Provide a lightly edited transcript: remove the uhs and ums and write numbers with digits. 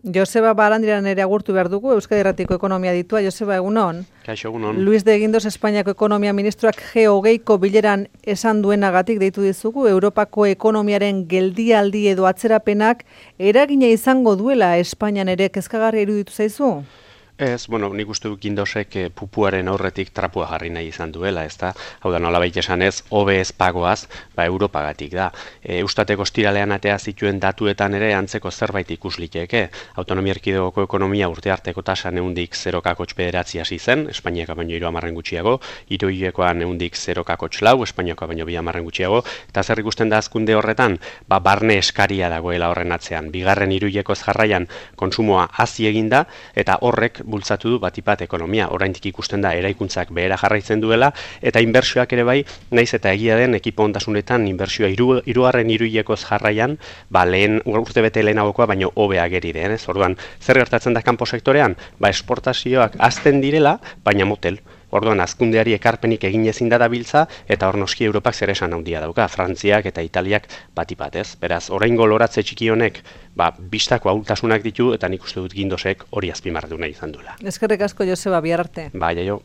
Joseba Barandiran ere agurtu behar dugu, Euskadi Irratiko ekonomia ditua. Joseba, egunon. Kaixo, egunon. Luis de Guindos Espainiako ekonomia ministroak G20ko bileran esan duenagatik deitu dizugu, Europako ekonomiaren geldialdi edo atzerapenak eragina izango duela Espainian ere kezkagarria iruditu zaizu? Ez, nik uste dut Guindosek pupuaren aurretik trapua jarri nahi izan duela, ezta? Hau da, nolabait esanez, hobe ez pagoaz, Europagatik da. Eustateko ostiralean atea zituen datuetan ere antzeko zerbait ikus liteke. Autonomia erkidegoko ekonomia urte arteko tasa neundik 0,9 hasi zen, Espainiaka baino 3 gutxiago, hiruhilekoan neundik 0,4, Espainiakoa baino 2 gutxiago, eta zer ikusten da azkunde horretan, barne eskaria dagoela horren atzean. Bigarren hiruhilekoz jarraian kontsumoa hazi eginda, eta horrek bultzatu du batipat ekonomia. Oraindik ikusten da eraikuntzak behera jarraitzen duela, eta inbertsioak ere bai, naiz eta egia den ekipo ondasunetan inbertsioa hirugarren hiruhilekoz jarraian, lehen urtebete lehenagokoa baino hobe ageri den, ez? Orduan, zer gertatzen da kanpo sektorean? Esportazioak hazten direla, baina motel. Orduan, azkundeari ekarpenik egin ezin da dabiltza, eta hor noski Europak zer esan handia dauka, Frantziak eta Italiak batipat, ez? Beraz, oraingo loratze txiki honek, bistako ahultasunak ditu, eta nik uste dut Guindosek hori azpimarratu nahi izan duela. Eskerrik asko, Joseba, bihar arte. Jaio.